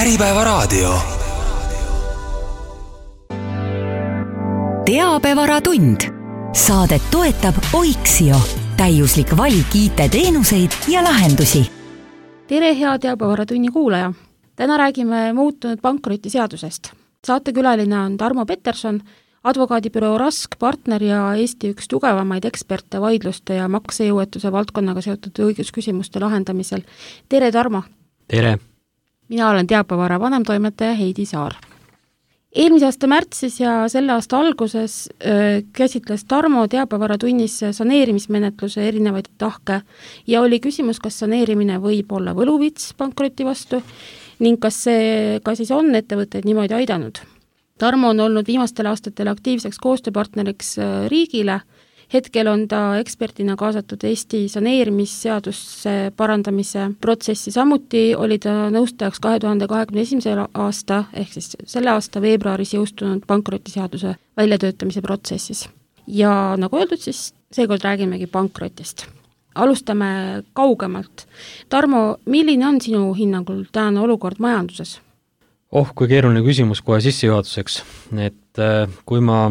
Äripäevaraadio. Teabevaratund. Saadet toetab Oiksio. Täiuslik valik IT-teenuseid ja lahendusi. Tere, hea Teabevaраtunni kuulaja! Täna räägime muutunud pankrotiseadusest. Saatekülaline on Tarmo Peterson, advokaadibüroo Rask partner ja Eesti üks tugevamaid eksperte vaidluste ja maksejõuetuse valdkonnaga seotud õigusküsimuste lahendamisel. Tere, Tarmo! Tere! Mina olen Teabevara vanemtoimetaja Heidi Saar. Eelmise aasta märtsis ja selle aasta alguses käsitles Tarmo Teabevaratunnis saneerimismenetluse erinevaid tahke ja oli küsimus, kas saneerimine võib olla võluvits pankroti vastu ning kas see ka siis on ettevõtteid niimoodi aidanud. Tarmo on olnud viimastel aastatel aktiivseks koostööpartneriks riigile. Hetkel on ta ekspertina kaasatud Eesti saneerimisseadusse parandamise protsessi. Samuti oli ta nõustajaks 2021. aasta ehk siis selle aasta veebruaris jõustunud pankrotiseaduse väljatöötamise protsessis. Ja nagu öeldud, siis seekord räägimegi pankrotist. Alustame kaugemalt. Tarmo, milline on sinu hinnangul tänane olukord majanduses? Kui keeruline küsimus kohe sissejuhatuseks, et kui ma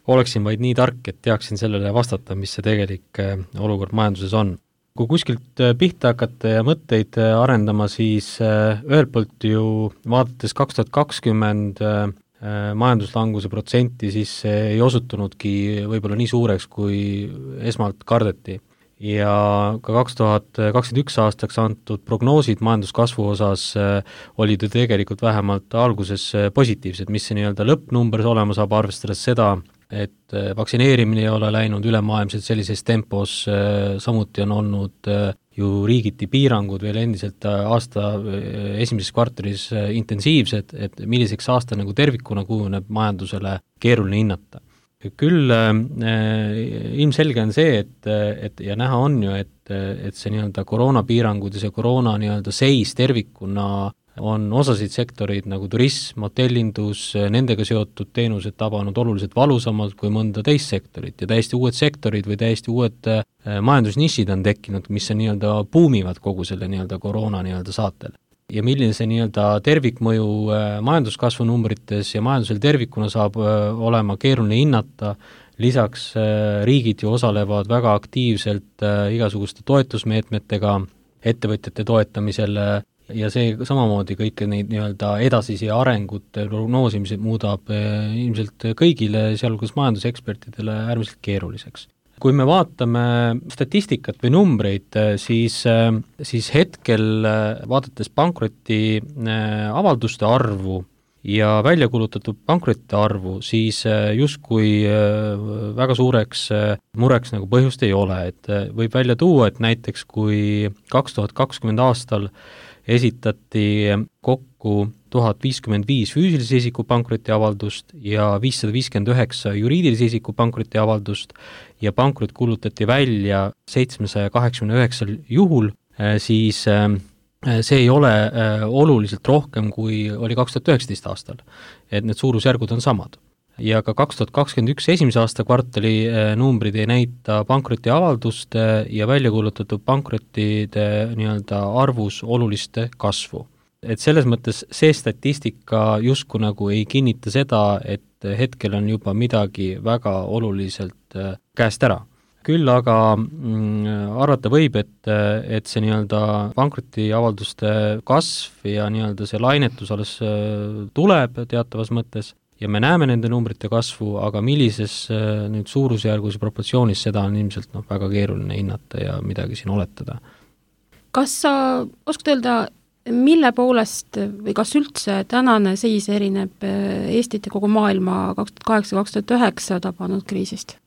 oleksin vaid nii tark, et teaksin sellele vastata, mis see tegelik olukord majanduses on. Kui kuskilt pihta hakata ja mõtteid arendama, siis ühelt poolt ju vaadates 2020 majanduslanguse protsenti, siis see ei osutunudki võib-olla nii suureks, kui esmalt kardeti. Ja ka 2021 aastaks antud prognoosid majanduskasvu osas olid ju tegelikult vähemalt alguses positiivsed, mis see nii-öelda lõppnumber olema saab, arvestades seda, et vaktsineerimine ei ole läinud ülemaailmselt sellises tempos, samuti on olnud ju riigiti piirangud veel endiselt aasta esimeses kvartalis intensiivsed, et milliseks aasta nagu tervikuna kujuneb majandusele keeruline hinnata. Küll ilmselge on see, et ja näha on ju, et see nii-öelda koroonapiirangud ja see koroona nii-öelda seis tervikuna on osasid sektoreid nagu turism, hotellindus, nendega seotud teenused tabanud oluliselt valusamalt kui mõnda teist sektorit ja täiesti uued sektorid või täiesti uued majandusnišid on tekkinud, mis on nii-öelda buumivad kogu selle nii-öelda koroona nii-öelda saatel. Ja milline see nii-öelda tervikmõju majanduskasvu numbrites ja majandusel tervikuna saab olema keeruline hinnata, lisaks riigid ju osalevad väga aktiivselt igasuguste toetusmeetmetega ettevõtjate toetamisel ja see samamoodi kõike neid nii-öelda edasisi arengute prognoosimised muudab ilmselt kõigile, sealhulgas majandusekspertidele äärmiselt keeruliseks. Kui me vaatame statistikat või numbreid, siis hetkel vaadates pankroti avalduste arvu ja välja kulutatud pankrotite arvu, siis justkui väga suureks mureks nagu põhjust ei ole. Et võib välja tuua, et näiteks kui 2020 aastal esitati kokku 1055 füüsilise isiku pankrotiavaldust ja 559 juriidilise isiku pankrotiavaldust ja pankrot kuulutati välja 789 juhul, siis see ei ole oluliselt rohkem kui oli 2019 aastal, et need suurusjärgud on samad. Ja ka 2021 esimese aasta kvartali numbrid ei näita pankrotiavalduste ja välja kuulutatud pankrotide nii-öelda arvus olulist kasvu. Et selles mõttes see statistika justkui nagu ei kinnita seda, et hetkel on juba midagi väga oluliselt käest ära. Küll aga arvata võib, et see nii-öelda pankrotiavalduste kasv ja nii-öelda see lainetus alles tuleb teatavas mõttes ja me näeme nende numbrite kasvu, aga millises nüüd suurusjärgus ja proportsioonis seda on ilmselt väga keeruline hinnata ja midagi siin oletada. Kas sa oskad öelda, mille poolest või kas üldse tänane seis erineb Eestit ja kogu maailma 2008-2009 tabanud kriisist?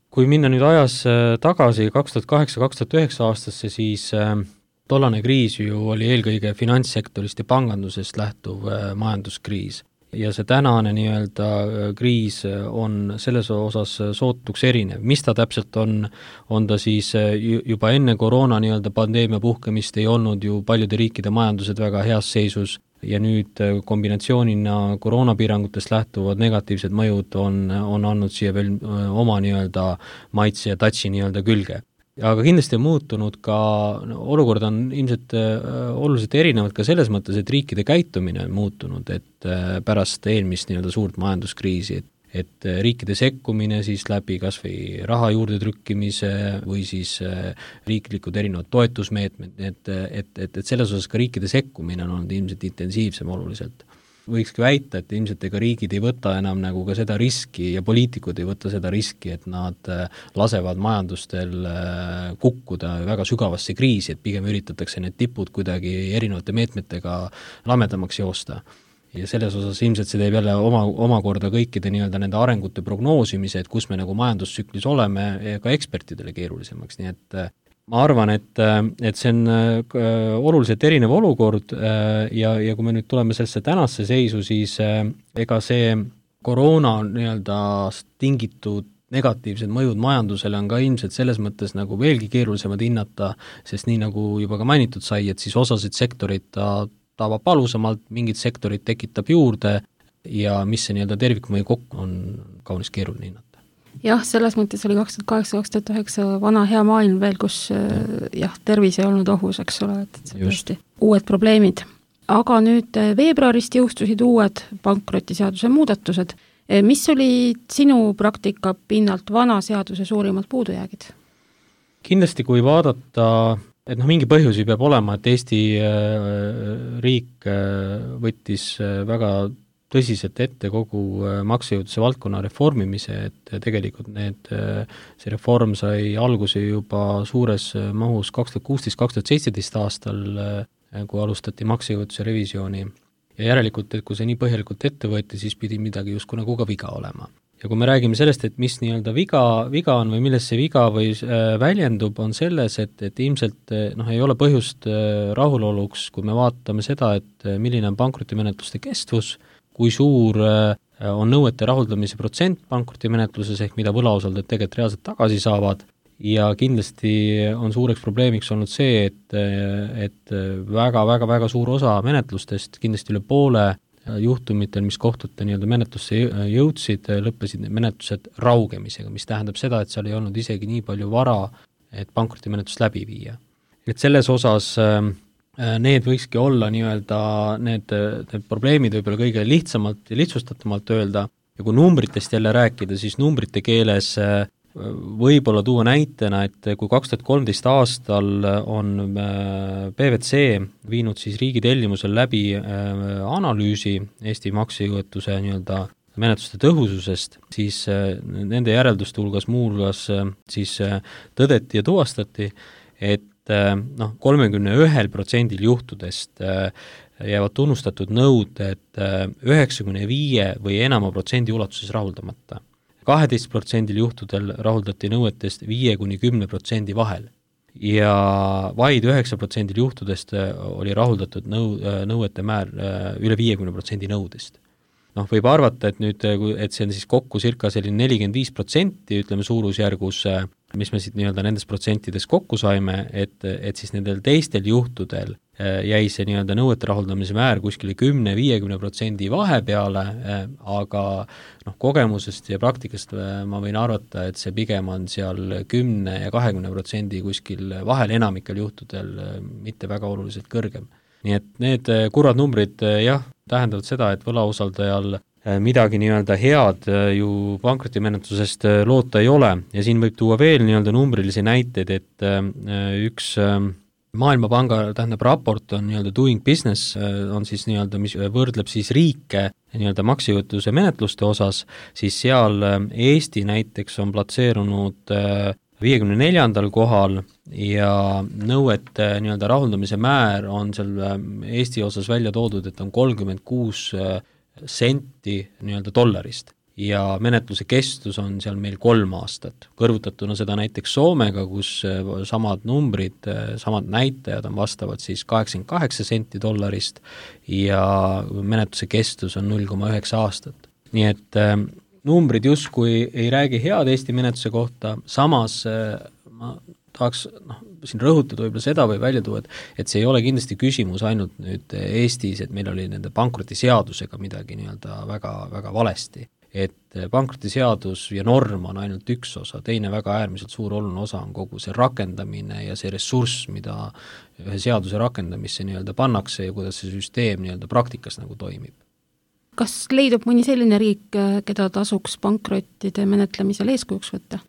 Kui minna nüüd ajas tagasi 2008-2009 aastasse, siis tollane kriis ju oli eelkõige finantssektorist ja pangandusest lähtuv majanduskriis. Ja see tänane nii-öelda kriis on selles osas sootuks erinev. Mis ta täpselt on ta siis juba enne koroona nii-öelda pandeemia puhkemist ei olnud ju paljude riikide majandused väga heas seisus ja nüüd kombinatsioonina koroonapiirangutest lähtuvad negatiivsed mõjud on andnud siia veel oma nii-öelda maitse ja tatsi nii-öelda külge. aga kindlasti on muutunud ka, olukord on ilmselt oluliselt erinevad ka selles mõttes, et riikide käitumine on muutunud, et pärast eelmist nii-öelda suurt majanduskriisi, et riikide sekkumine siis läbi kas või raha juurde trükkimise või siis riiklikud erinevad toetusmeetmed, et selles osas ka riikide sekkumine on olnud ilmselt intensiivsem oluliselt. Võikski väita, et ilmselt ega riigid ei võta enam nagu ka seda riski ja poliitikud ei võta seda riski, et nad lasevad majandustel kukkuda väga sügavasse kriisi, et pigem üritatakse need tipud kuidagi erinevate meetmetega lamedamaks joosta. Ja selles osas ilmselt see teeb jälle omakorda kõikide nii-öelda nende arengute prognoosimise, et kus me nagu majandustsüklis oleme, ka ekspertidele keerulisemaks, nii et ma arvan, et see on oluliselt erinev olukord ja kui me nüüd tuleme sellesse tänasse seisu, siis ega see koroona nii-öelda tingitud negatiivsed mõjud majandusele on ka ilmselt selles mõttes nagu veelgi keerulisemad hinnata, sest nii nagu juba ka mainitud sai, et siis osasid sektorid ta tabab palusamalt, mingid sektorid tekitab juurde ja mis see nii-öelda tervikmõju kokku on kaunis keeruline hinnata. Jah, selles mõttes oli 2008-2009 vana hea maailm veel, kus tervis ei olnud ohus, eks ole, et see tõesti uued probleemid. Aga nüüd veebruarist jõustusid uued pankrotiseaduse muudatused. Mis oli sinu praktika pinnalt vana seaduse suurimad puudujäägid? Kindlasti kui vaadata, et mingi põhjusi peab olema, et Eesti riik võttis väga tõsiselt ette kogu maksejõudluse valdkonna reformimise, et tegelikult see reform sai alguse juba suures mahus 2016-2017 aastal, kui alustati maksejõudluse revisjoni. Ja järelikult, et kui see nii põhjalikult ette võeti, siis pidi midagi justkui nagu ka viga olema. Ja kui me räägime sellest, et mis nii-öelda viga on või milles see viga või väljendub, on selles, et ilmselt ei ole põhjust rahuloluks, kui me vaatame seda, et milline on pankrotimenetluste kestvus, kui suur on nõuete rahuldamise protsent pankrotimenetluses ehk mida võlausaldajad tegelikult reaalselt tagasi saavad ja kindlasti on suureks probleemiks olnud see, et väga suur osa menetlustest, kindlasti üle poole juhtumitel, mis kohtute nii-öelda menetlusse jõudsid, lõppesid menetlused raugemisega, mis tähendab seda, et seal ei olnud isegi nii palju vara, et pankrotimenetlust läbi viia. Et selles osas need võikski olla nii-öelda need probleemid võib-olla kõige lihtsamalt ja lihtsustatumalt öelda ja kui numbritest jälle rääkida, siis numbrite keeles võib-olla tuua näitena, et kui 2013 aastal on PwC viinud siis riigi tellimusel läbi analüüsi Eesti maksejõuetuse nii-öelda menetluste tõhususest, siis nende järelduste hulgas muuhulgas siis tõdeti ja tuvastati, et 31% juhtudest jäävad tunnustatud nõuded 95 või enama protsendi ulatuses rahuldamata. 12% juhtudel rahuldati nõuetest 5-10% vahel ja vaid 9% juhtudest oli rahuldatud nõuete määr üle 50% nõudest. Võib arvata, et see on siis kokku circa selline 45%, ütleme suurusjärgus, mis me siit nii-öelda nendes protsentides kokku saime, et siis nendel teistel juhtudel jäi see nii-öelda nõuete rahuldamise määr kuskile 10-50% vahepeale, aga kogemusest ja praktikast ma võin arvata, et see pigem on seal 10 ja 20% kuskil vahel enamikel juhtudel mitte väga oluliselt kõrgem. Nii et need kurvad numbrid tähendavad seda, et võlausaldajal midagi nii-öelda head ju pankrotimenetlusest loota ei ole ja siin võib tuua veel nii-öelda numbrilisi näiteid, et üks Maailmapanga raport on nii-öelda Doing Business, on siis nii-öelda, mis võrdleb siis riike nii-öelda maksejõuetuse menetluste osas, siis seal Eesti näiteks on platseerunud 54. kohal ja nõuete nii-öelda rahuldamise määr on seal Eesti osas välja toodud, et on 36 senti nii-öelda dollarist ja menetluse kestus on seal meil 3 aastat. Kõrvutatuna seda näiteks Soomega, kus samad numbrid, samad näitajad on vastavad siis 88 senti dollarist ja menetluse kestus on 0,9 aastat. Nii et numbrid justkui ei räägi head Eesti menetluse kohta, samas ma tahaks siin rõhutada võib-olla seda või välja tuua, et see ei ole kindlasti küsimus ainult nüüd Eestis, et meil oli nende pankrotiseadusega midagi nii-öelda väga valesti. et pankrotiseadus ja norm on ainult üks osa, teine väga äärmiselt suur oluline osa on kogu see rakendamine ja see ressurss, mida ühe seaduse rakendamisse nii-öelda pannakse ja kuidas see süsteem nii-öelda praktikas nagu toimib. Kas leidub mõni selline riik, keda tasuks pankrottide menetlemisel eeskujuks võtta?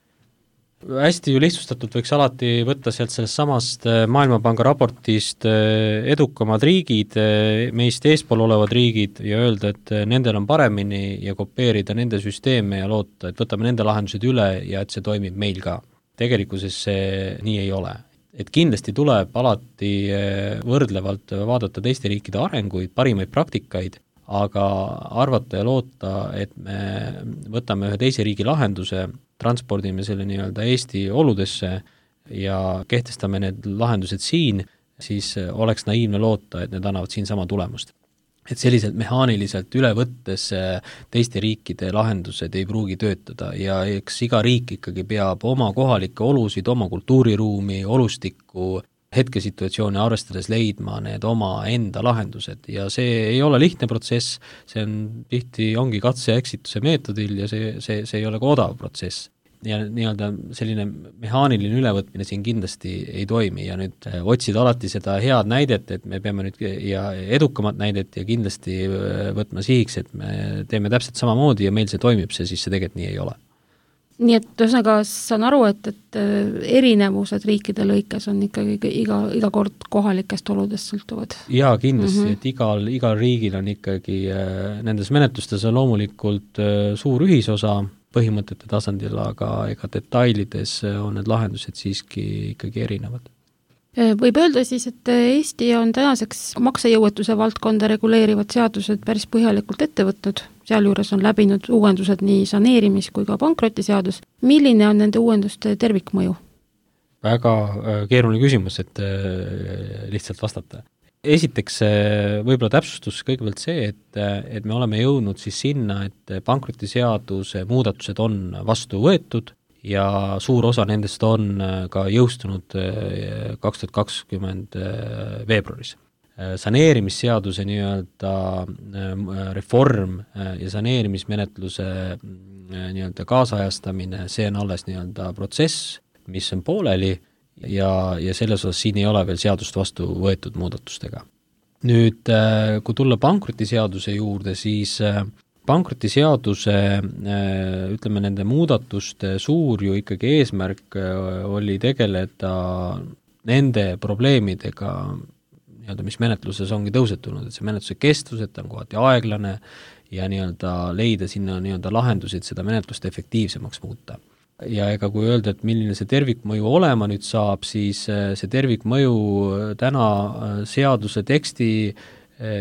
Hästi ju lihtsustatult võiks alati võtta sealt sellest samast Maailmapanga raportist edukamad riigid, meist eespool olevad riigid ja öelda, et nendel on paremini ja kopeerida nende süsteeme ja loota, et võtame nende lahendused üle ja et see toimib meil ka. Tegelikkuses see nii ei ole. Et kindlasti tuleb alati võrdlevalt vaadata teiste riikide arenguid, parimaid praktikaid, aga arvata ja loota, et me võtame ühe teise riigi lahenduse, transpordime selle nii-öelda Eesti oludesse ja kehtestame need lahendused siin, siis oleks naiivne loota, et need annavad siin sama tulemust. Et selliselt mehaaniliselt üle võttes teiste riikide lahendused ei pruugi töötada ja eks iga riik ikkagi peab oma kohalikke olusid, oma kultuuriruumi, olustikku, hetkesituatsiooni arvestades leidma need oma enda lahendused ja see ei ole lihtne protsess, see on tihti ongi katse ja eksituse meetodil ja see ei ole ka odav protsess. Ja nii-öelda selline mehaaniline ülevõtmine siin kindlasti ei toimi ja nüüd otsida alati seda head näidet, et me peame nüüd ja edukamat näidet ja kindlasti võtma sihiks, et me teeme täpselt samamoodi ja meil see toimib, siis see tegelikult nii ei ole. Nii et ühesõnaga saan aru, et erinevused riikide lõikes on ikkagi iga kord kohalikest oludest sõltuvad. Jaa, kindlasti, et igal riigil on ikkagi nendes menetlustes on loomulikult suur ühisosa põhimõtete tasandil, aga ega detailides on need lahendused siiski ikkagi erinevad. Võib öelda siis, et Eesti on tänaseks maksejõuetuse valdkonda reguleerivad seadused päris põhjalikult ette võtnud, sealjuures on läbinud uuendused nii saneerimis- kui ka pankrotiseadus. Milline on nende uuenduste tervikmõju? Väga keeruline küsimus, et lihtsalt vastata. Esiteks võib-olla täpsustus kõigepealt see, et me oleme jõudnud siis sinna, et pankrotiseaduse muudatused on vastu võetud ja suur osa nendest on ka jõustunud 2020 veebruaris. Saneerimisseaduse nii-öelda reform ja saneerimismenetluse nii-öelda kaasajastamine, see on alles nii-öelda protsess, mis on pooleli ja selles osas siin ei ole veel seadust vastu võetud muudatustega. Nüüd, kui tulla pankrotiseaduse juurde, siis pankrotiseaduse, ütleme, nende muudatuste suur ju ikkagi eesmärk oli tegeleda nende probleemidega, mis menetluses ongi tõusetunud, et see menetluse kestus, et on kohati aeglane ja nii-öelda leida sinna nii-öelda lahendusid seda menetlust efektiivsemaks muuta. Ja ega kui öelda, et milline see tervikmõju olema nüüd saab, siis see tervikmõju täna seaduse teksti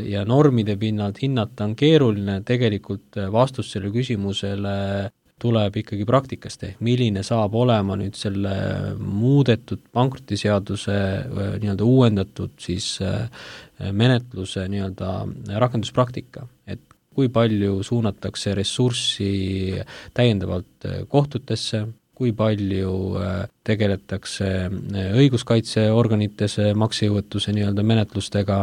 ja normide pinnalt hinnata on keeruline, tegelikult vastus selle küsimusele tuleb ikkagi praktikast, milline saab olema nüüd selle muudetud pankrotiseaduse nii-öelda uuendatud siis menetluse nii-öelda rakenduspraktika, et kui palju suunatakse ressurssi täiendavalt kohtutesse, kui palju tegeletakse õiguskaitseorganites maksejõuetuse nii-öelda menetlustega,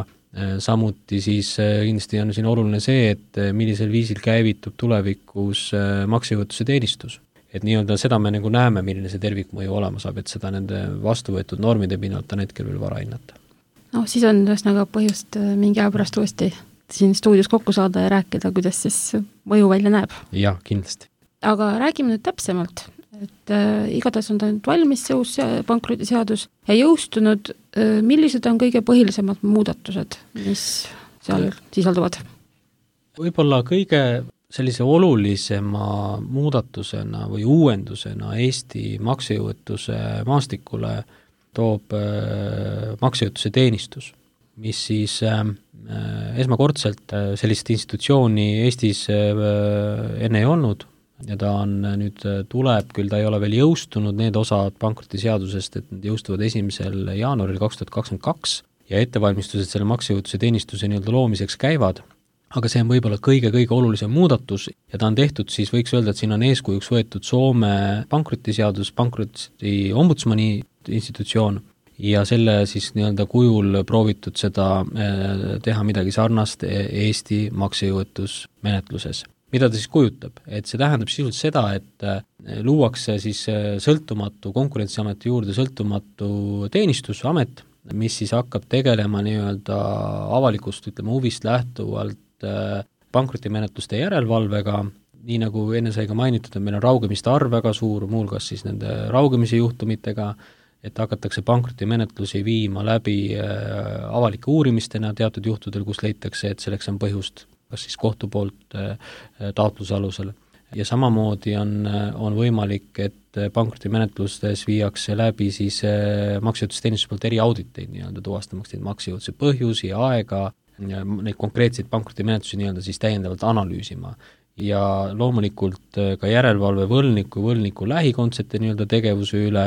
samuti siis kindlasti on siin oluline see, et millisel viisil käivitub tulevikus maksejõuetuse teenistus. Et nii-öelda seda me nagu näeme, milline see tervikmõju olema saab, et seda nende vastuvõetud normide pinnalt on hetkel veel vara hinnata. Siis on ühesõnaga põhjust mingi aja pärast uuesti siin stuudios kokku saada ja rääkida, kuidas siis mõju välja näeb. Jah, kindlasti. Aga räägime nüüd täpsemalt, et igatahes on ta nüüd valmis see uus pankrotiseadus ja jõustunud, millised on kõige põhilisemad muudatused, mis seal sisalduvad? Võib-olla kõige sellise olulisema muudatusena või uuendusena Eesti maksejõuetuse maastikule toob maksejõuetuse teenistus, mis siis esmakordselt sellist institutsiooni Eestis enne ei olnud ja ta on nüüd tuleb, küll ta ei ole veel jõustunud, need osad pankrotiseadusest, et need jõustuvad 1. jaanuaril 2022 ja ettevalmistused selle maksejõuetuse teenistuse nii-öelda loomiseks käivad, aga see on võib-olla kõige olulisem muudatus ja ta on tehtud siis, võiks öelda, et siin on eeskujuks võetud Soome pankrotiseadus, pankroti ombudsmani institutsioon ja selle siis nii-öelda kujul proovitud seda teha midagi sarnast Eesti maksejõuetusmenetluses. mida ta siis kujutab? Et see tähendab sisuliselt seda, et luuakse siis sõltumatu, Konkurentsiameti juurde sõltumatu teenistusamet, mis siis hakkab tegelema nii-öelda avalikust, ütleme, huvist lähtuvalt pankrotimenetluste järelevalvega, nii nagu enne sai ka mainitud, et meil on raugemiste arv väga suur, muuhulgas siis nende raugemise juhtumitega, et hakatakse pankrotimenetlusi viima läbi avalike uurimistena teatud juhtudel, kus leitakse, et selleks on põhjust, kas siis kohtu poolt taotluse alusel. Ja samamoodi on võimalik, et pankrotimenetlustes viiakse läbi siis maksejõuetusteenistuse poolt eriauditeid nii-öelda tuvastamaks neid maksejõuetuse põhjusi ja aega, neid konkreetseid pankrotimenetlusi nii-öelda siis täiendavalt analüüsima. Ja loomulikult ka järelevalve võlniku lähikondsete nii-öelda tegevuse üle,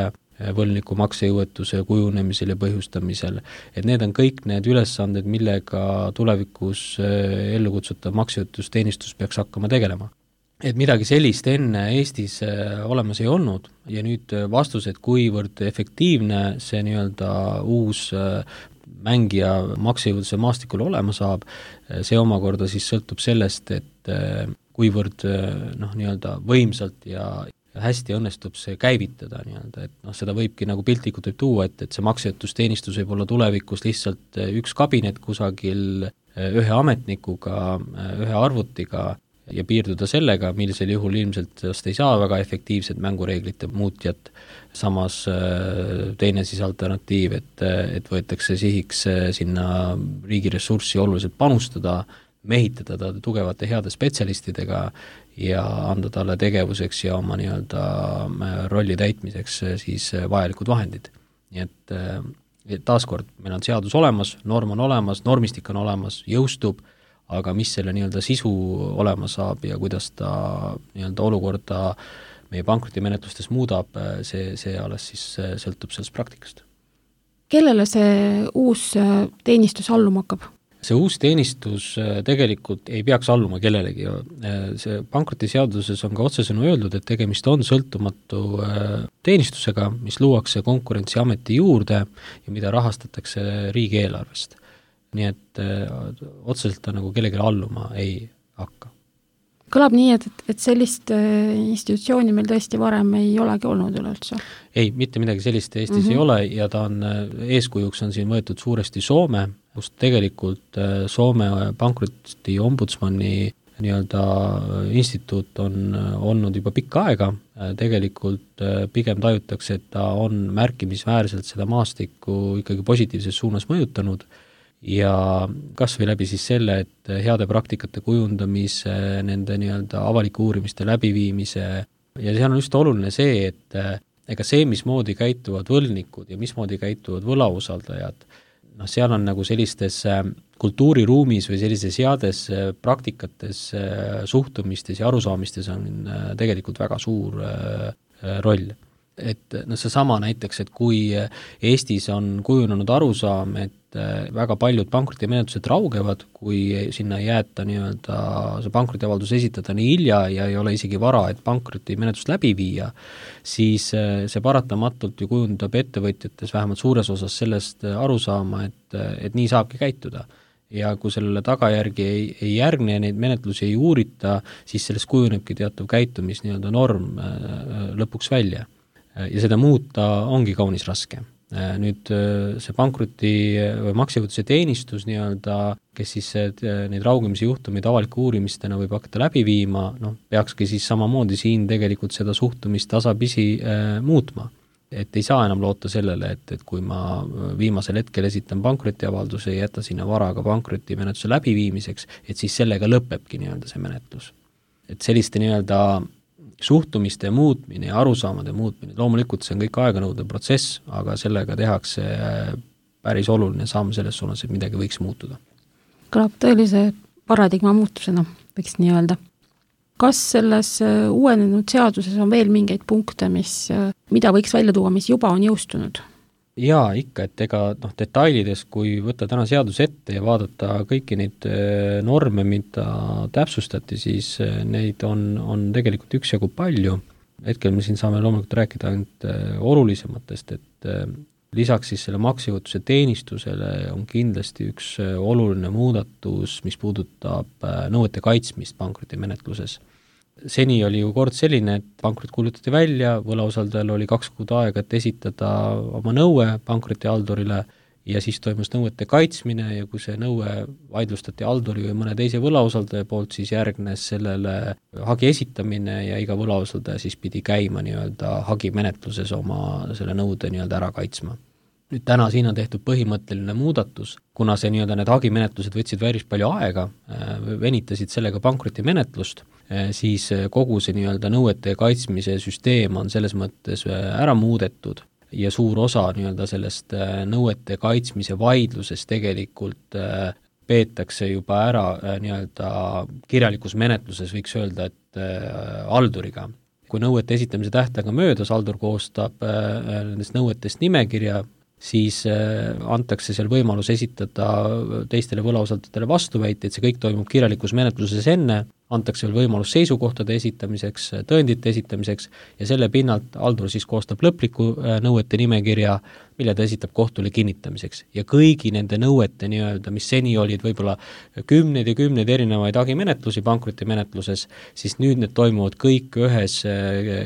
võlniku maksejõuetuse kujunemisel ja põhjustamisel, et need on kõik need ülesanded, millega tulevikus ellu kutsutav maksejõuetusteenistus peaks hakkama tegelema. Et midagi sellist enne Eestis olemas ei olnud ja nüüd vastus, et kuivõrd efektiivne see nii-öelda uus mängija maksejõuetuse maastikul olema saab, see omakorda siis sõltub sellest, et kuivõrd nii-öelda võimsalt ja hästi õnnestub see käivitada nii-öelda, et seda võibki nagu piltlikult võib tuua, et see maksejõuetusteenistus võib olla tulevikus lihtsalt üks kabinet kusagil ühe ametnikuga, ühe arvutiga ja piirduda sellega, millisel juhul ilmselt ei saa väga efektiivset mängureeglite muutjat, samas teine siis alternatiiv, et võetakse sihiks sinna riigi ressurssi oluliselt panustada, mehitada ta tugevate heade spetsialistidega ja anda talle tegevuseks ja oma nii-öelda rolli täitmiseks siis vajalikud vahendid. Nii et taaskord, meil on seadus olemas, norm on olemas, normistik on olemas, jõustub, aga mis selle nii-öelda sisu olema saab ja kuidas ta nii-öelda olukorda meie pankrotimenetlustes muudab, see alles siis sõltub sellest praktikast. Kellele see uus teenistus alluma hakkab? See uus teenistus tegelikult ei peaks alluma kellelegi. See pankrotiseaduses on ka otsesõnu öeldud, et tegemist on sõltumatu teenistusega, mis luuakse Konkurentsiameti juurde ja mida rahastatakse riigieelarvest. Nii et otseselt ta nagu kellelegi alluma ei hakka. Kõlab nii, et sellist institutsiooni meil tõesti varem ei olegi olnud üleüldse? Ei, mitte midagi sellist Eestis ei ole ja ta on, eeskujuks on siin võetud suuresti Soome, kus tegelikult Soome pankroti ombudsmani nii-öelda instituut on olnud juba pikka aega, tegelikult pigem tajutakse, et ta on märkimisväärselt seda maastikku ikkagi positiivses suunas mõjutanud ja kas või läbi siis selle, et heade praktikate kujundamise, nende nii-öelda avalike uurimiste läbiviimise ja seal on just oluline see, et ega see, mismoodi käituvad võlnikud ja mismoodi käituvad võlausaldajad, seal on nagu sellistes kultuuriruumis või sellises heades praktikates, suhtumistes ja arusaamistes on tegelikult väga suur roll. Et seesama näiteks, et kui Eestis on kujunenud arusaam, et väga paljud pankrotimenetlused raugevad, kui sinna ei jäeta nii-öelda see pankrotiavaldus esitada nii hilja ja ei ole isegi vara, et pankrotimenetlust läbi viia, siis see paratamatult ju kujundab ettevõtjates vähemalt suures osas sellest arusaama, et nii saabki käituda. Ja kui sellele tagajärgi ei järgne ja neid menetlusi ei uurita, siis sellest kujunebki teatav käitumis nii-öelda norm lõpuks välja. Ja seda muuta ongi kaunis raske. Nüüd see pankroti või maksejõuetuse teenistus nii-öelda, kes siis neid raugemise juhtumeid avaliku uurimistena võib hakata läbi viima, peakski siis samamoodi siin tegelikult seda suhtumist tasapisi muutma. Et ei saa enam loota sellele, et kui ma viimasel hetkel esitan pankrotiavalduse ja jätta sinna varaga pankrotimenetluse läbiviimiseks, et siis sellega lõpebki nii-öelda see menetlus. Et selliste nii-öelda suhtumiste muutmine ja arusaamade muutmine, loomulikult see on kõik aeganõudev protsess, aga sellega tehakse päris oluline samm selles suunas, et midagi võiks muutuda. Kõlab tõelise paradigma muutusena, võiks nii öelda. Kas selles uuenenud seaduses on veel mingeid punkte, mida võiks välja tuua, mis juba on jõustunud? Jaa, ikka, et ega detailides, kui võtta täna seadus ette ja vaadata kõiki neid norme, mida täpsustati, siis neid on tegelikult üksjagu palju. Hetkel me siin saame loomulikult rääkida ainult olulisematest, et Lisaks siis selle maksejõuetuse teenistusele on kindlasti üks oluline muudatus, mis puudutab nõuete kaitsmist pankrotimenetluses. Seni oli ju kord selline, et pankrot kuulutati välja, võlausaldajal oli 2 kuud aega, et esitada oma nõue pankrotihaldurile ja siis toimus nõuete kaitsmine ja kui see nõue vaidlustati halduri või mõne teise võlausaldaja poolt, siis järgnes sellele hagi esitamine ja iga võlausaldaja siis pidi käima nii-öelda hagimenetluses oma selle nõude nii-öelda ära kaitsma. Nüüd täna siin on tehtud põhimõtteline muudatus, kuna see nii-öelda need hagimenetlused võtsid päris palju aega, venitasid sellega pankrotimenetlust, siis kogu see nii-öelda nõuete kaitsmise süsteem on selles mõttes ära muudetud ja suur osa nii-öelda sellest nõuete kaitsmise vaidlusest tegelikult peetakse juba ära nii-öelda kirjalikus menetluses, võiks öelda, et halduriga. Kui nõuete esitamise tähtaega möödas, haldur koostab nendest nõuetest nimekirja, siis antakse seal võimalus esitada teistele võlausaldajatele vastuväiteid, see kõik toimub kirjalikus menetluses enne, antakse veel võimalus seisukohtade esitamiseks, tõendite esitamiseks ja selle pinnalt haldur siis koostab lõpliku nõuete nimekirja, mille ta esitab kohtule kinnitamiseks. Ja kõigi nende nõuete nii-öelda, mis seni olid võib-olla kümneid ja kümneid erinevaid hagimenetlusi pankrotimenetluses, siis nüüd need toimuvad kõik ühes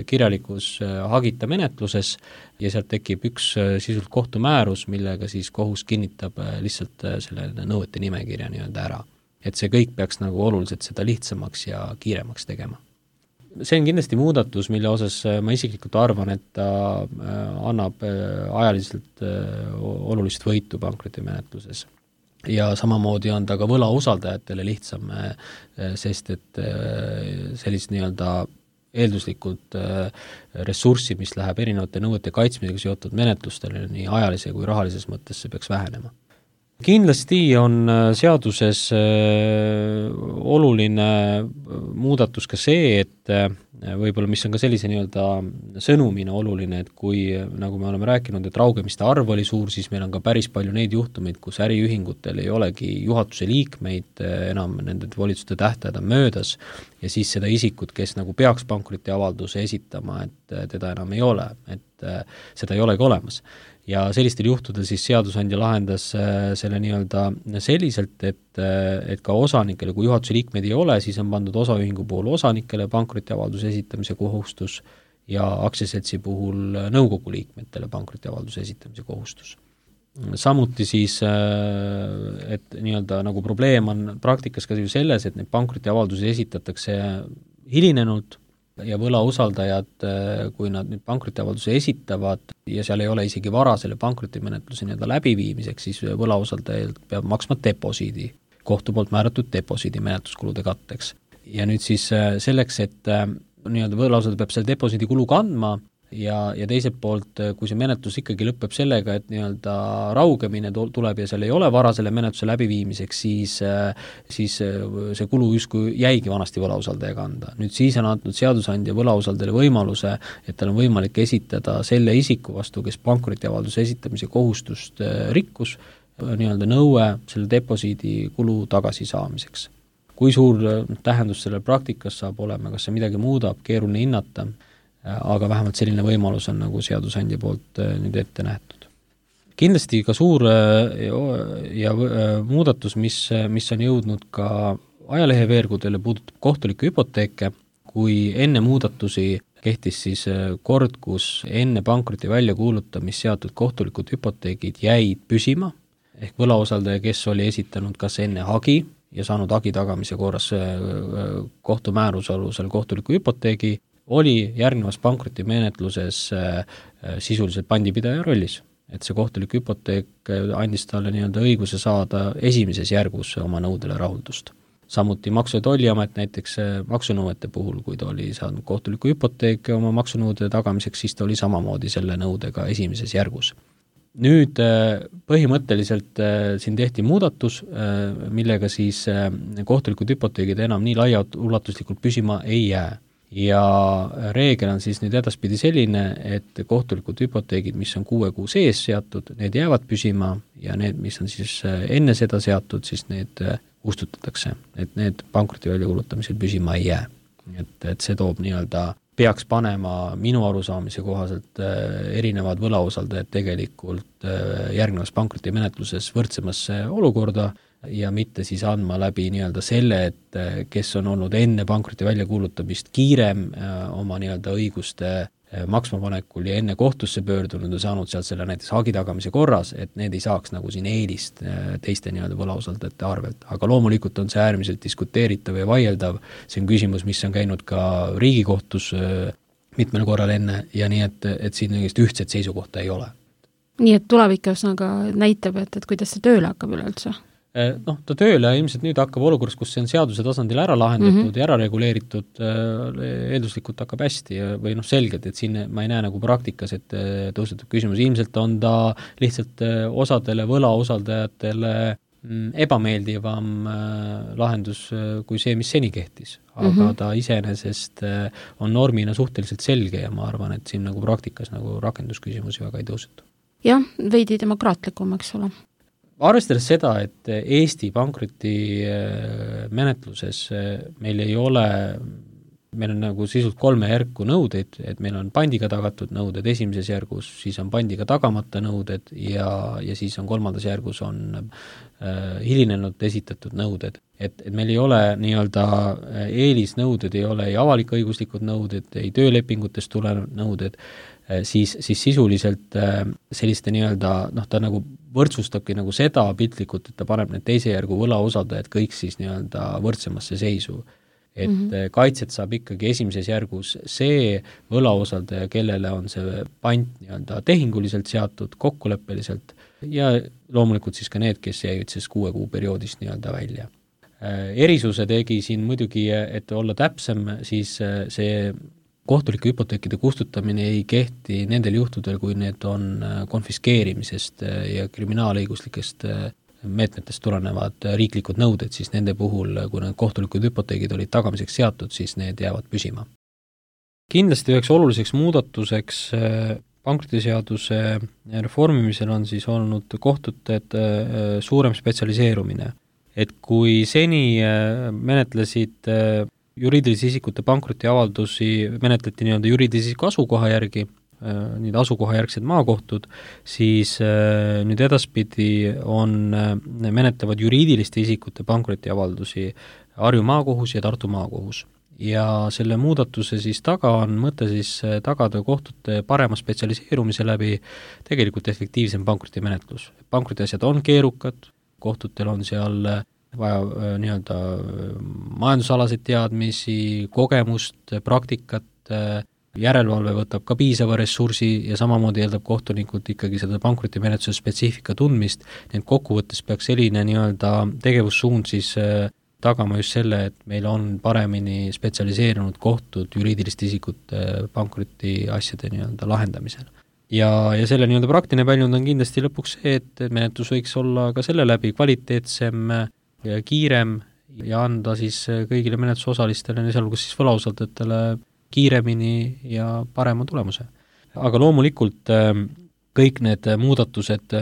kirjalikus hagita menetluses ja sealt tekib üks sisult kohtumäärus, millega siis kohus kinnitab lihtsalt selle nõuete nimekirja nii-öelda ära. Et see kõik peaks nagu oluliselt seda lihtsamaks ja kiiremaks tegema. See on kindlasti muudatus, mille osas ma isiklikult arvan, et ta annab ajaliselt olulist võitu pankrotimenetluses. Ja samamoodi on ta ka võlausaldajatele lihtsam, sest et sellist nii-öelda eelduslikult ressurssi, mis läheb erinevate nõuete kaitsmisega seotud menetlustele, nii ajalise kui rahalises mõttes see peaks vähenema. Kindlasti on seaduses oluline muudatus ka see, et võib-olla mis on ka sellise nii-öelda sõnumina oluline, et kui, nagu me oleme rääkinud, et raugemiste arv oli suur, siis meil on ka päris palju neid juhtumeid, kus äriühingutel ei olegi juhatuse liikmeid enam, nende volituste tähtajad on möödas ja siis seda isikut, kes nagu peaks pankrotiavalduse esitama, et teda enam ei ole, et seda ei olegi olemas. Ja sellistel juhtudel siis seadusandja lahendas selle nii-öelda selliselt, et ka osanikele, kui juhatuse liikmeid ei ole, siis on pandud osaühingu puhul osanikele pankrotiavalduse esitamise kohustus ja aktsiaseltsi puhul nõukogu liikmetele pankrotiavalduse esitamise kohustus. Samuti siis, et nii-öelda nagu probleem on praktikas ka selles, et need pankrotiavaldusi esitatakse hilinenult ja võlausaldajad, kui nad nüüd pankrotiavalduse esitavad ja seal ei ole isegi vara selle pankrotimenetluse nii-öelda läbiviimiseks, siis võlausaldajalt peab maksma deposiidi, kohtu poolt määratud deposiidi menetluskulude katteks. Ja nüüd siis selleks, et nii-öelda võlausaldaja peab selle deposiidi kulu kandma ja teiselt poolt, kui see menetlus ikkagi lõpeb sellega, et nii-öelda raugemine tuleb ja seal ei ole vara selle menetluse läbiviimiseks, siis see kulu justkui jäigi vanasti võlausaldaja kanda. Nüüd siis on andnud seadusandja võlausaldajale võimaluse, et tal on võimalik esitada selle isiku vastu, kes pankrotiavalduse esitamise kohustust rikkus, nii-öelda nõue selle deposiidi kulu tagasisaamiseks. Kui suur tähendus selle praktikas saab olema, kas see midagi muudab, keeruline hinnata, aga vähemalt selline võimalus on nagu seadusandja poolt nüüd ette nähtud. Kindlasti ka suur ja muudatus, mis on jõudnud ka ajaleheveergudele, puudutab kohtuliku hüpoteeke, kui enne muudatusi kehtis siis kord, kus enne pankroti väljakuulutamist seatud kohtulikud hüpoteegid jäid püsima, ehk võlausaldaja, kes oli esitanud kas enne hagi ja saanud hagi tagamise korras kohtumääruse alusel kohtuliku hüpoteegi, oli järgnevas pankrotimenetluses sisuliselt pandipidaja rollis, et see kohtulik hüpoteek andis talle nii-öelda õiguse saada esimeses järgus oma nõudele rahuldust. Samuti Maksu- ja Tolliamet näiteks maksunõuete puhul, kui ta oli saanud kohtuliku hüpoteeke oma maksunõude tagamiseks, siis ta oli samamoodi selle nõudega esimeses järgus. Nüüd põhimõtteliselt siin tehti muudatus, millega siis kohtulikud hüpoteegid enam nii laiaulatuslikult püsima ei jää. Ja reegel on siis nüüd edaspidi selline, et kohtulikud hüpoteegid, mis on 6 kuu sees seatud, need jäävad püsima ja need, mis on siis enne seda seatud, siis need kustutatakse, et need pankroti väljakuulutamisel püsima ei jää. Et see toob nii-öelda peaks panema minu arusaamise kohaselt erinevad võlausaldajad tegelikult järgnevas pankrotimenetluses võrdsemasse olukorda ja mitte siis andma läbi nii-öelda selle, et kes on olnud enne pankroti väljakuulutamist kiirem oma nii-öelda õiguste maksmapanekul ja enne kohtusse pöördunud ja saanud sealt selle näiteks hagi tagamise korras, et need ei saaks nagu siin eelist teiste nii-öelda võlausaldajate arvelt. Aga loomulikult on see äärmiselt diskuteeritav ja vaieldav, see on küsimus, mis on käinud ka Riigikohtus mitmel korral enne ja nii, et siin ühtset seisukohta ei ole. Nii et tulevikus näitab, et kuidas see tööle hakkab üleüldse? Ta tööle ilmselt nüüd hakkab olukorras, kus see on seaduse tasandil ära lahendatud ja ära reguleeritud, eelduslikult hakkab hästi või selgelt, et siin ma ei näe nagu praktikas, et tõusetub küsimus, ilmselt on ta lihtsalt osadele võlausaldajatele ebameeldivam lahendus kui see, mis seni kehtis. Aga ta iseenesest on normina suhteliselt selge ja ma arvan, et siin nagu praktikas nagu rakendusküsimusi väga ei tõusetu. Jah, veidi demokraatlikum, eks ole. Arvestades seda, et Eesti pankroti menetluses meil on nagu sisult 3 järku nõudeid, et meil on pandiga tagatud nõuded esimeses järgus, siis on pandiga tagamata nõuded ja siis on 3. järgus on hilinenud esitatud nõuded. Et meil ei ole nii-öelda eelisnõuded, ei ole ei avalik-õiguslikud nõuded, ei töölepingutest tulevad nõuded, siis sisuliselt selliste nii-öelda, ta nagu võrdsustabki nagu seda piltlikult, et ta paneb need teise järgu võlausaldajad kõik siis nii-öelda võrdsemasse seisu. Et kaitset saab ikkagi esimeses järgus see võlausaldaja, kellele on see pant nii-öelda tehinguliselt seatud, kokkuleppeliselt ja loomulikult siis ka need, kes jäid siis 6 kuu perioodist nii-öelda välja. Erisuse tegi siin muidugi, et olla täpsem, siis see kohtulike hüpoteekide kustutamine ei kehti nendel juhtudel, kui need on konfiskeerimisest ja kriminaalõiguslikest meetmetest tulenevad riiklikud nõuded, siis nende puhul, kui need kohtulikud hüpoteegid olid tagamiseks seatud, siis need jäävad püsima. Kindlasti üheks oluliseks muudatuseks pankrotiseaduse reformimisel on siis olnud kohtute suurem spetsialiseerumine. Et kui seni menetlesid juriidilise isikute pankrotiavaldusi, menetleti nii-öelda juriidilise isiku asukoha järgi, nüüd asukohajärgsed maakohtud, siis nüüd edaspidi menetlevad juriidiliste isikute pankrotiavaldusi Harju maakohus ja Tartu maakohus. Ja selle muudatuse siis taga on mõte siis tagada kohtute parema spetsialiseerumise läbi tegelikult efektiivsem pankrotimenetlus. Pankrotiasjad on keerukad, kohtutel on seal vaja nii-öelda majandusalaseid teadmisi, kogemust, praktikat, järelevalve võtab ka piisava ressursi ja samamoodi eeldab kohtunikult ikkagi seda pankrotimenetluse spetsiifika tundmist, nii et kokkuvõttes peaks selline nii-öelda tegevussuund siis tagama just selle, et meil on paremini spetsialiseerunud kohtud juriidiliste isikute pankrotiasjade nii-öelda lahendamisel. Ja selle nii-öelda praktiline väljund on kindlasti lõpuks see, et menetlus võiks olla ka selle läbi kvaliteetsem ja kiirem ja anda siis kõigile menetlusosalistele, sealhulgas siis võlausaldajatele kiiremini ja parema tulemuse. Aga loomulikult kõik need muudatused,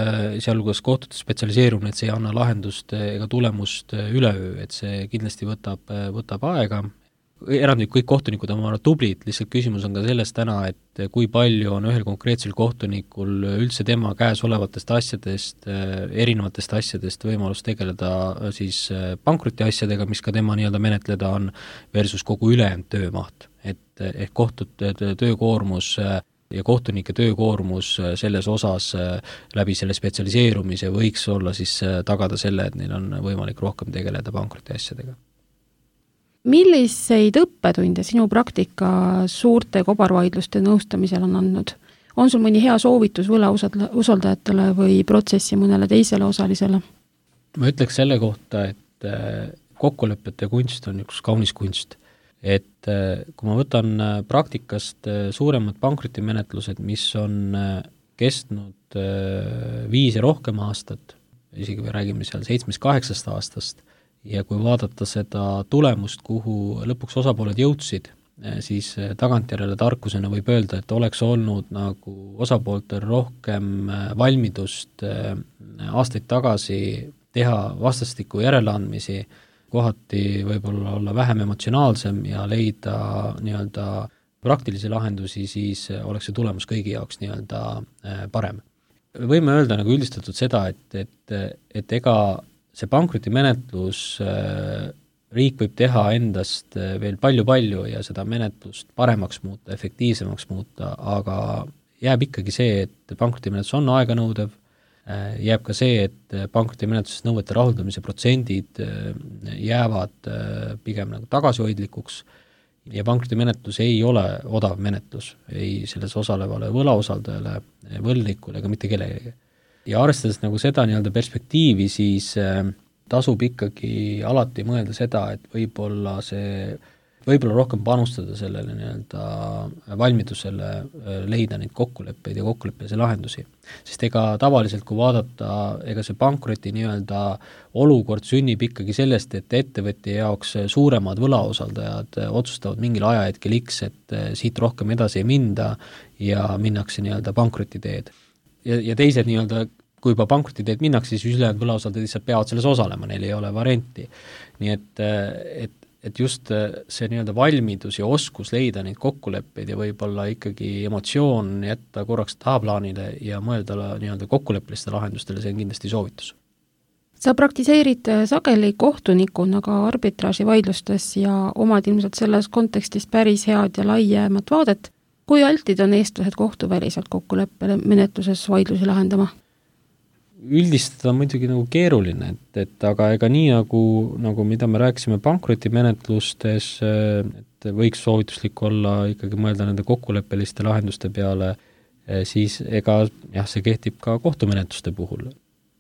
sealhulgas kohtute spetsialiseerumine, et see ei anna lahendust ega tulemust üleöö, et see kindlasti võtab aega. Erandlik kõik kohtunikud on tublid, lihtsalt küsimus on ka selles täna, et kui palju on ühel konkreetsel kohtunikul üldse tema käes olevatest asjadest, erinevatest asjadest võimalus tegeleda siis pankrotiasjadega, mis ka tema nii-öelda menetleda on, versus kogu ülejäänud töömaht. Ehk kohtute töökoormus ja kohtunike töökoormus selles osas läbi selle spetsialiseerumise võiks olla siis tagada selle, et neil on võimalik rohkem tegeleda pankrotiasjadega. Milliseid õppetunde sinu praktika suurte kobarvaidluste nõustamisel on andnud? On sul mõni hea soovitus võlausaldajatele või protsessi mõnele teisele osalisele? Ma ütleks selle kohta, et kokkulepete kunst on üks kaunis kunst. Et kui ma võtan praktikast suuremad pankrotimenetlused, mis on kestnud 5 ja rohkem aastat, isegi me räägime seal 7-8 aastast, ja kui vaadata seda tulemust, kuhu lõpuks osapooled jõudsid, siis tagantjärele tarkusena võib öelda, et oleks olnud nagu osapooltel rohkem valmidust aastaid tagasi teha vastastikku järeleandmisi, kohati võib-olla olla vähem emotsionaalsem ja leida nii-öelda praktilisi lahendusi, siis oleks see tulemus kõigi jaoks nii-öelda parem. Võime öelda nagu üldistatud seda, et ega see pankrotimenetlus, riik võib teha endast veel palju ja seda menetlust paremaks muuta, efektiivsemaks muuta, aga jääb ikkagi see, et pankrotimenetlus on aeganõudev, jääb ka see, et pankrotimenetluses nõuete rahuldamise protsendid jäävad pigem nagu tagasihoidlikuks ja pankrotimenetlus ei ole odav menetlus, ei selles osalevale võlausaldajale, võlnikule ega mitte kellelegi. Ja arvestades nagu seda nii-öelda perspektiivi, siis tasub ikkagi alati mõelda seda, et võib-olla rohkem panustada sellele nii-öelda valmidusele leida neid kokkuleppeid ja kokkuleppelisi lahendusi. Sest ega tavaliselt, kui vaadata, ega see pankroti nii-öelda olukord sünnib ikkagi sellest, et ettevõtja jaoks suuremad võlausaldajad otsustavad mingil ajahetkel X, et siit rohkem edasi ei minda ja minnakse nii-öelda pankroti teed. Ja teised nii-öelda, kui juba pankroti teed minnakse, siis ülejäänud võlausaldajad lihtsalt peavad selles osalema, neil ei ole varianti. Nii et just see nii-öelda valmidus ja oskus leida neid kokkuleppeid ja võib-olla ikkagi emotsioon jätta korraks tahaplaanile ja mõelda nii-öelda kokkuleppeliste lahendustele, see on kindlasti soovitus. Sa praktiseerid sageli kohtunikuna ka arbitraaži vaidlustes ja omad ilmselt selles kontekstis päris head ja laiemat vaadet. Kui altid on eestlased kohtuväliselt kokkuleppele menetluses vaidlusi lahendama? Üldistada on muidugi nagu keeruline, et aga ega nii nagu mida me rääkisime pankrotimenetlustes, et võiks soovituslik olla ikkagi mõelda nende kokkuleppeliste lahenduste peale, siis ega see kehtib ka kohtumenetluste puhul.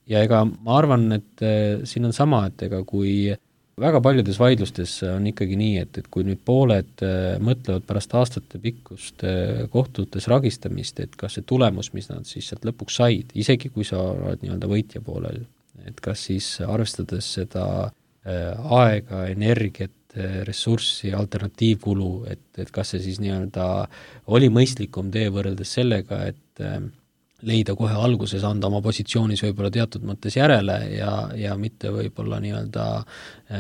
Ja ega ma arvan, et siin on sama, et ega kui väga paljudes vaidlustes on ikkagi nii, et kui nüüd pooled mõtlevad pärast aastate pikkust kohtutes ragistamist, et kas see tulemus, mis nad siis sealt lõpuks said, isegi kui sa oled nii-öelda võitja poolel, et kas siis arvestades seda aega, energiat, ressurssi, alternatiivkulu, et kas see siis nii-öelda oli mõistlikum tee võrreldes sellega, et leida kohe alguses, anda oma positsioonis võib-olla teatud mõttes järele ja mitte võib-olla nii-öelda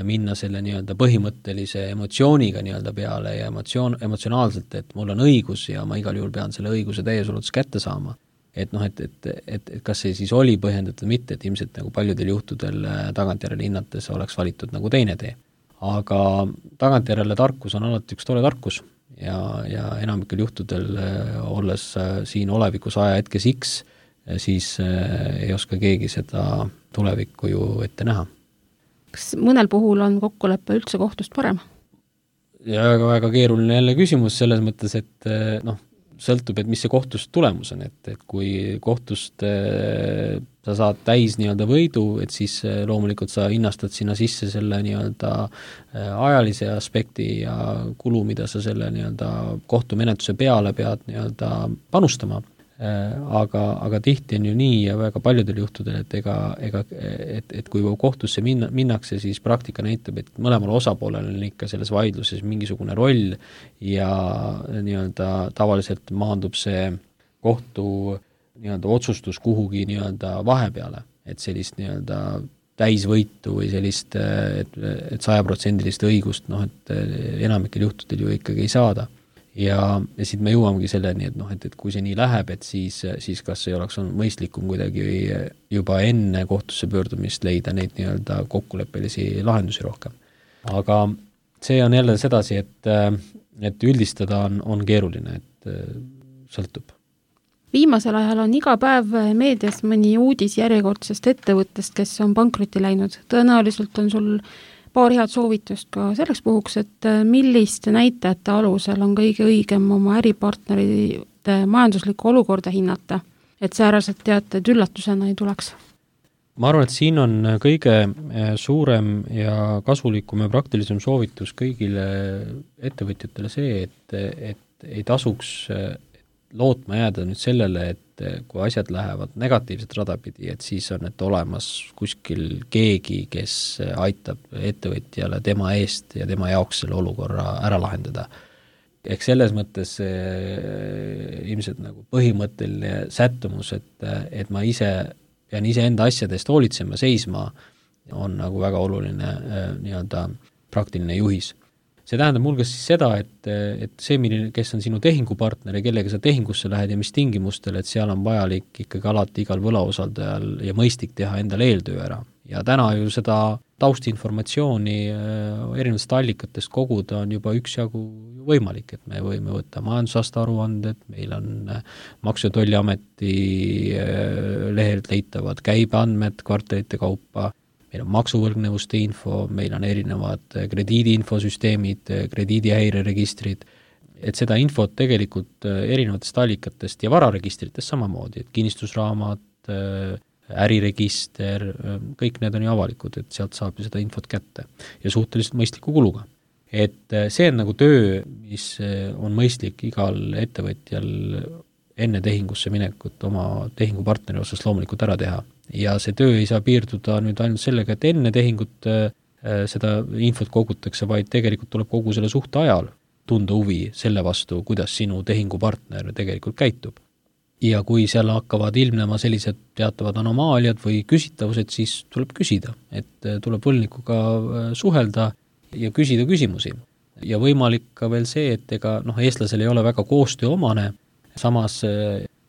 minna selle nii-öelda põhimõttelise emotsiooniga nii-öelda peale ja emotsionaalselt, et mul on õigus ja ma igal juhul pean selle õiguse täies ulatuses kätte saama. Et kas see siis oli põhjendatud mitte, et ilmselt nagu paljudel juhtudel tagantjärele hinnates oleks valitud nagu teine tee. Aga tagantjärele tarkus on alati üks tore tarkus. Ja enamikel juhtudel olles siin olevikus ajahetkes X, siis ei oska keegi seda tulevikku ju ette näha. Kas mõnel puhul on kokkulepe üldse kohtust parem? Ja väga keeruline jälle küsimus selles mõttes, et sõltub, et mis see kohtust tulemus on, et kui kohtust sa saad täis nii-öelda võidu, et siis loomulikult sa hinnastad sinna sisse selle nii-öelda ajalise aspekti ja kulu, mida sa selle nii-öelda kohtumenetluse peale pead nii-öelda panustama. Aga tihti on ju nii ja väga paljudel juhtudel, et kui kohtusse minnakse, siis praktika näitab, et mõlemal osapoolel on ikka selles vaidluses mingisugune roll ja nii-öelda tavaliselt maandub see kohtu nii-öelda otsustus kuhugi nii-öelda vahepeale, et sellist nii-öelda täisvõitu või sellist, et 100% õigust, et enamikel juhtudel ju ikkagi ei saada. Ja siit me jõuamegi selleni, et kui see nii läheb, et siis kas ei oleks olnud mõistlikum kuidagi juba enne kohtusse pöördumist leida neid nii-öelda kokkuleppelisi lahendusi rohkem. Aga see on jälle sedasi, et üldistada on keeruline, et sõltub. Viimasel ajal on iga päev meedias mõni uudis järjekordsest ettevõttest, kes on pankrotti läinud. Tõenäoliselt on sul paar head soovitust ka selleks puhuks, et milliste näitajate alusel on kõige õigem oma äripartnerite majanduslikku olukorda hinnata, et sääraselt teated üllatusena ei tuleks? Ma arvan, et siin on kõige suurem ja kasulikum ja praktilisem soovitus kõigile ettevõtjatele see, et ei tasuks lootma jääda nüüd sellele, et kui asjad lähevad negatiivset radapidi, et siis on olemas kuskil keegi, kes aitab ettevõtjale tema eest ja tema jaoks selle olukorra ära lahendada. Ehk selles mõttes ilmselt nagu põhimõtteline sättumus, et ma ise pean enda asjadest hoolitsema, seisma, on nagu väga oluline nii-öelda praktiline juhis. see tähendab mulgas siis seda, et see, kes on sinu tehingupartner ja kellega sa tehingusse lähed ja mis tingimustel, et seal on vajalik ikkagi alati igal võlausaldajal ja mõistlik teha endale eeltöö ära. Ja täna ju seda taustinformatsiooni erinevatest allikatest koguda on juba üksjagu võimalik, et me võime võtta majandusaasta aruanded, meil on Maksu- ja Tolliameti lehelt leitavad käibeandmed kvartalite kaupa, meil on maksuvõlgnevuste info, meil on erinevad krediidiinfosüsteemid, krediidihäireregistrid, et seda infot tegelikult erinevatest allikatest ja vararegistritest samamoodi, et kinnistusraamat, äriregister, kõik need on ju avalikud, et sealt saab ju seda infot kätte ja suhteliselt mõistliku kuluga. Et see on nagu töö, mis on mõistlik igal ettevõtjal enne tehingusse minekut oma tehingupartneri osas loomulikult ära teha. Ja see töö ei saa piirduda nüüd ainult sellega, et enne tehingut seda infot kogutakse, vaid tegelikult tuleb kogu selle suhte ajal tunda huvi selle vastu, kuidas sinu tehingupartner tegelikult käitub. Ja kui seal hakkavad ilmnema sellised teatavad anomaaliad või küsitavused, siis tuleb küsida, et tuleb võlgnikuga suhelda ja küsida küsimusi. Ja võimalik ka veel see, et ega eestlasel ei ole väga koostööomane, samas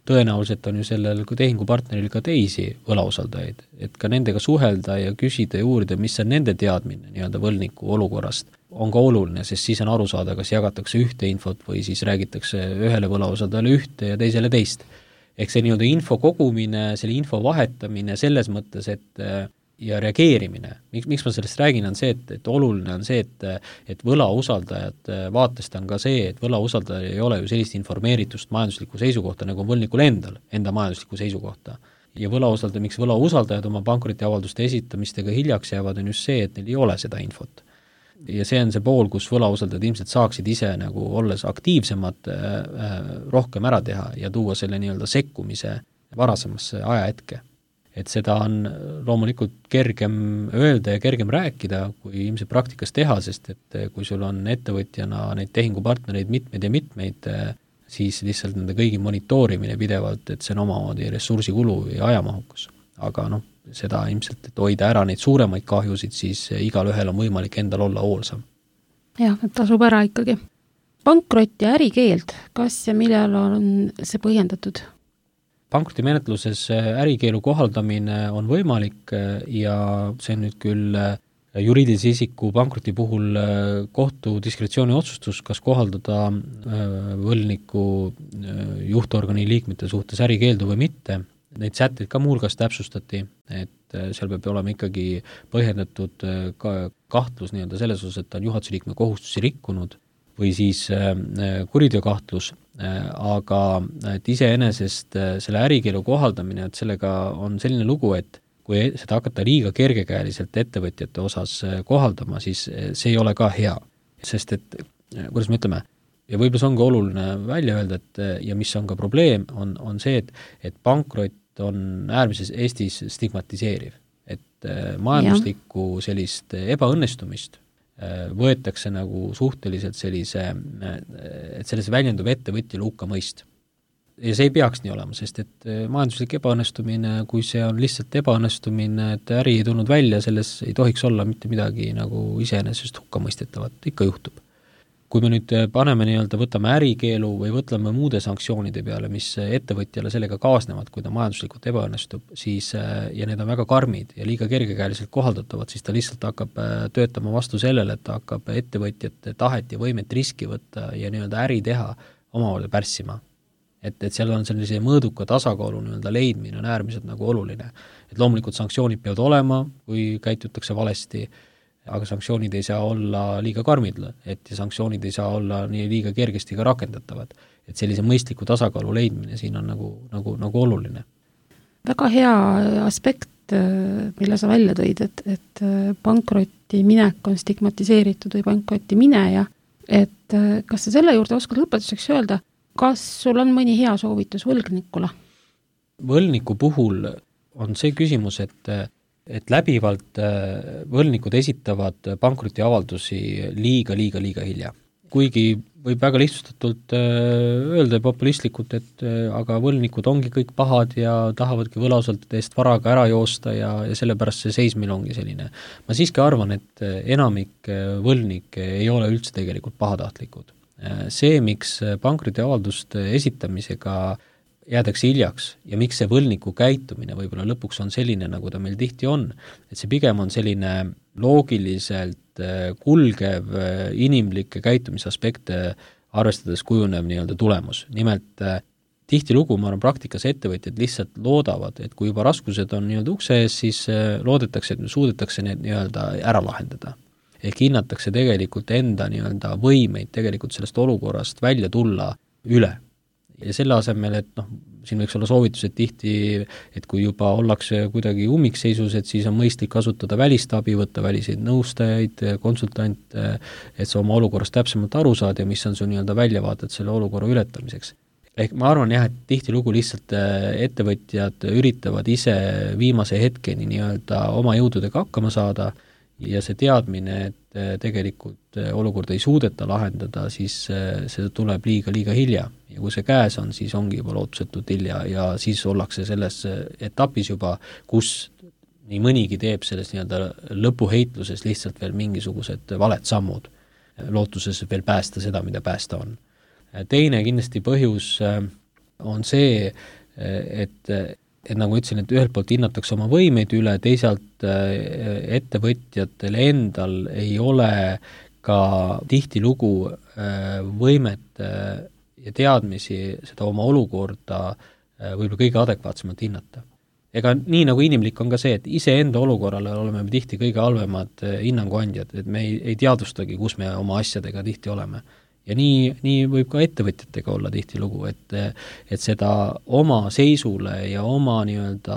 tõenäoliselt on ju sellel tehingupartneril ka teisi võlausaldajaid, et ka nendega suhelda ja küsida ja uurida, mis on nende teadmine nii-öelda võlgniku olukorrast, on ka oluline, sest siis on aru saada, kas jagatakse ühte infot või siis räägitakse ühele võlausaldajale ühte ja teisele teist. Ehk see nii-öelda info kogumine, selle info vahetamine selles mõttes, et ja reageerimine, miks ma sellest räägin, on see, et oluline on see, et võlausaldajad vaatest on ka see, et võlausaldajal ei ole ju sellist informeeritust majanduslikku seisukohta, nagu on võlgnikul enda majanduslikku seisukohta. Ja miks võlausaldajad oma pankrotiavalduste esitamistega hiljaks jäävad, on just see, et neil ei ole seda infot. Ja see on see pool, kus võlausaldajad ilmselt saaksid ise nagu olles aktiivsemad rohkem ära teha ja tuua selle nii-öelda sekkumise varasemasse ajahetke. Et seda on loomulikult kergem öelda ja kergem rääkida, kui ilmselt praktikas teha, sest et kui sul on ettevõtjana neid tehingupartnereid mitmeid, siis lihtsalt nende kõigi monitoorimine pidevalt, et see on omamoodi ressursikulu ja ajamahukus. Aga seda ilmselt, et hoida ära neid suuremaid kahjusid, siis igal ühel on võimalik endal olla hoolsam. Jah, et tasub ära ikkagi. Pankrot ja ärikeeld, kas ja millal on see põhjendatud? Pankrotimenetluses ärikeelu kohaldamine on võimalik ja see on nüüd küll juriidilise isiku pankroti puhul kohtu diskretsiooni otsustus, kas kohaldada võlgniku juhtorgani liikmete suhtes ärikeeldu või mitte. Neid sätteid ka muulgas täpsustati, et seal peab olema ikkagi põhjendatud kahtlus nii-öelda selles osas, et ta on juhatuse liikme kohustusi rikkunud või siis kuriteokahtlus, aga et iseenesest selle ärikeelu kohaldamine, et sellega on selline lugu, et kui seda hakata liiga kergekäeliselt ettevõtjate osas kohaldama, siis see ei ole ka hea, sest et, kuidas me ütleme, ja võib-olla see on ka oluline välja öelda, et ja mis on ka probleem, on see, et pankrot on äärmises Eestis stigmatiseeriv, et majanduslikku sellist ebaõnnestumist võetakse nagu suhteliselt et selles väljendub ettevõtjale hukkamõist. Ja see ei peaks nii olema, sest et majanduslik ebaõnnestumine, kui see on lihtsalt ebaõnnestumine, et äri ei tulnud välja, selles ei tohiks olla mitte midagi nagu iseenesest hukkamõistetavat, ikka juhtub. Kui me nüüd paneme võtame ärikeelu või võtleme muude sanktsioonide peale, mis ettevõtjale sellega kaasnevad, kui ta majanduslikult ebaõnnestub, siis, ja need on väga karmid ja liiga kergekäeliselt kohaldatavad, siis ta lihtsalt hakkab töötama vastu sellele, et ta hakkab ettevõtjate tahet ja võimet riski võtta ja äri teha omavahel pärssima. Et seal on sellise mõõduka tasakaalu leidmine on äärmiselt nagu oluline. Et loomulikult sanktsioonid peavad olema, kui käitutakse valesti, aga sanktsioonid ei saa olla liiga karmid, et sanktsioonid ei saa olla nii liiga kergesti ka rakendatavad. Et sellise mõistliku tasakaalu leidmine siin on nagu oluline. Väga hea aspekt, mille sa välja tõid, et pankroti minek on stigmatiseeritud või pankroti mineja, et kas sa selle juurde oskad lõpetuseks öelda, kas sul on mõni hea soovitus võlgnikule? Võlgniku puhul on see küsimus, et läbivalt võlgnikud esitavad pankrotiavaldusi liiga hilja. Kuigi võib väga lihtsustatult öelda ja populistlikult, et aga võlnikud ongi kõik pahad ja tahavadki võlausaldajate eest varaga ära joosta ja sellepärast see seis meil ongi selline. Ma siiski arvan, et enamik võlnikke ei ole üldse tegelikult pahatahtlikud. See, miks pankrotiavalduste esitamisega jäädakse hiljaks ja miks see võlniku käitumine võib-olla lõpuks on selline, nagu ta meil tihti on, et see pigem on selline loogiliselt kulgev inimlikke käitumisaspekte arvestades kujunev nii-öelda tulemus. Nimelt tihtilugu, ma arvan, praktikas ettevõtjad lihtsalt loodavad, et kui juba raskused on nii-öelda ukse ees, siis loodetakse, et suudetakse need nii-öelda ära lahendada. Ehk hinnatakse tegelikult enda nii-öelda võimeid tegelikult sellest olukorrast välja tulla üle. Ja selle asemel, et siin võiks olla soovitused tihti, et kui juba ollakse kuidagi ummikseisus, et siis on mõistlik kasutada välist abi, võtta väliseid nõustajaid, konsultante, et sa oma olukorrast täpsemalt aru saad ja mis on su nii-öelda väljavaated selle olukorra ületamiseks. Ehk ma arvan jah, et tihtilugu lihtsalt ettevõtjad üritavad ise viimase hetkeni nii-öelda oma jõududega hakkama saada ja see teadmine, et tegelikult olukorda ei suudeta lahendada, siis see tuleb liiga hilja. Ja kui see käes on, siis ongi juba lootusetult hilja ja siis ollakse selles etapis juba, kus nii mõnigi teeb selles nii-öelda lõpuheitluses lihtsalt veel mingisugused valed sammud, lootuses veel päästa seda, mida päästa on. Teine kindlasti põhjus on see, et nagu ütlesin, et ühelt poolt hinnatakse oma võimeid üle, teisalt ettevõtjatel endal ei ole ka tihtilugu võimet ja teadmisi seda oma olukorda võib-olla kõige adekvaatsemalt hinnata. Ega nii nagu inimlik on ka see, et iseenda olukorrale oleme me tihti kõige halvemad hinnanguandjad, et me ei teadvustagi, kus me oma asjadega tihti oleme. Ja nii võib ka ettevõtjatega olla tihtilugu, et seda oma seisule ja oma nii-öelda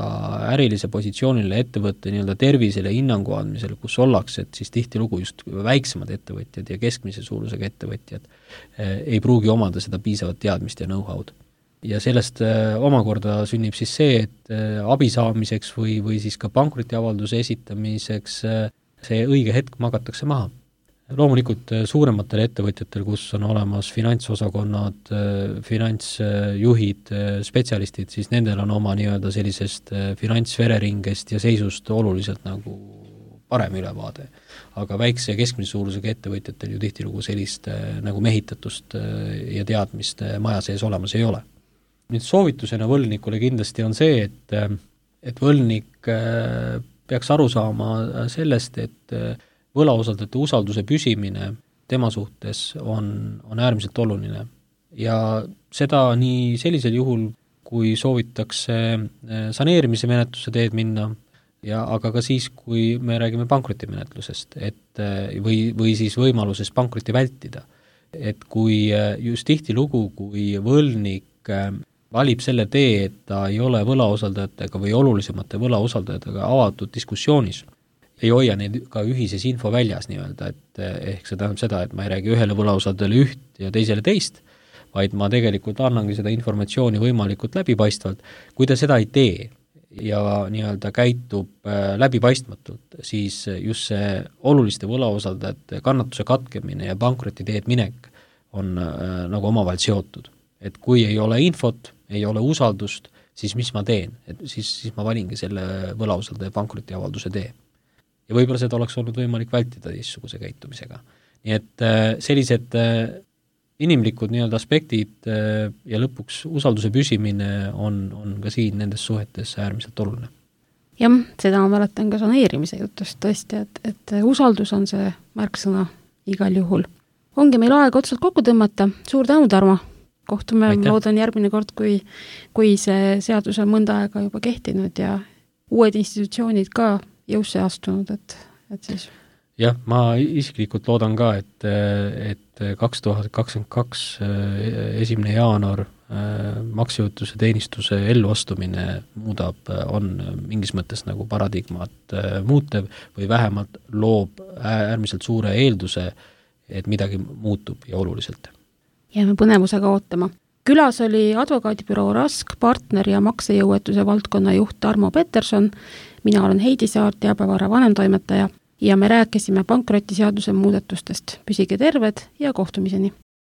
ärilise positsioonile ettevõtte nii-öelda tervisele hinnangu andmisele, kus ollakse, et siis tihtilugu just väiksemad ettevõtjad ja keskmise suurusega ettevõtjad ei pruugi omada seda piisavat teadmist ja know-how'd. Ja sellest omakorda sünnib siis see, et abi saamiseks või siis ka pankrotiavalduse esitamiseks see õige hetk magatakse maha. Loomulikult suurematel ettevõtjatel, kus on olemas finantsosakonnad, finantsjuhid, spetsialistid, siis nendel on oma nii-öelda sellisest finantsvereringest ja seisust oluliselt nagu parem ülevaade. Aga väikse ja keskmise suurusega ettevõtjatel ju tihtilugu sellist nagu mehitatust ja teadmist maja sees olemas ei ole. Nüüd soovitusena võlnikule kindlasti on see, et võlnik peaks aru saama sellest, et võlausaldajate usalduse püsimine tema suhtes on äärmiselt oluline ja seda nii sellisel juhul, kui soovitakse saneerimise menetluse teed minna, aga ka siis, kui me räägime pankrotimenetlusest, või siis võimaluses pankroti vältida. Et kui just tihtilugu, kui võlnik valib selle tee, et ta ei ole võlausaldajatega või olulisemate võlausaldajatega avatud diskussioonis, ei hoia neid ka ühises info väljas nii-öelda, et ehk see tähendab seda, et ma ei räägi ühele võlausaldajale üht ja teisele teist, vaid ma tegelikult annangi seda informatsiooni võimalikult läbipaistvalt. Kui ta seda ei tee ja nii-öelda käitub läbipaistmatult, siis just see oluliste võlausaldajate kannatuse katkemine ja pankroti teed minek on nagu omavahel seotud. Et kui ei ole infot, ei ole usaldust, siis mis ma teen? Et siis ma valingi selle võlausaldaja pankrotiavalduse tee. Ja võib-olla seda oleks olnud võimalik vältida teistsuguse käitumisega. Nii et sellised inimlikud nii-öelda aspektid ja lõpuks usalduse püsimine on ka siin nendes suhetes äärmiselt oluline. Jah, seda ma mäletan ka saneerimise jutust tõesti, et usaldus on see märksõna igal juhul. Ongi meil aeg otsalt kokku tõmmata. Suur tänu, Tarmo! Kohtume, loodan järgmine kord, kui see seadus on mõnda aega juba kehtinud ja uued institutsioonid ka jõusse astunud, et siis... Jah, ma isiklikult loodan ka, et 2022 1. jaanuar maksejõuetuse teenistuse elluastumine on mingis mõttes nagu paradigmat muutev või vähemalt loob äärmiselt suure eelduse, et midagi muutub ja oluliselt. Jääme põnevusega ootama. Külas oli advokaadibüroo Rask, partner ja maksejõuetuse valdkonna juht Tarmo Peterson. Mina olen Heidi Saar, Teabevara vanemtoimetaja ja me rääkisime pankrotiseaduse muudatustest. Püsige terved ja kohtumiseni!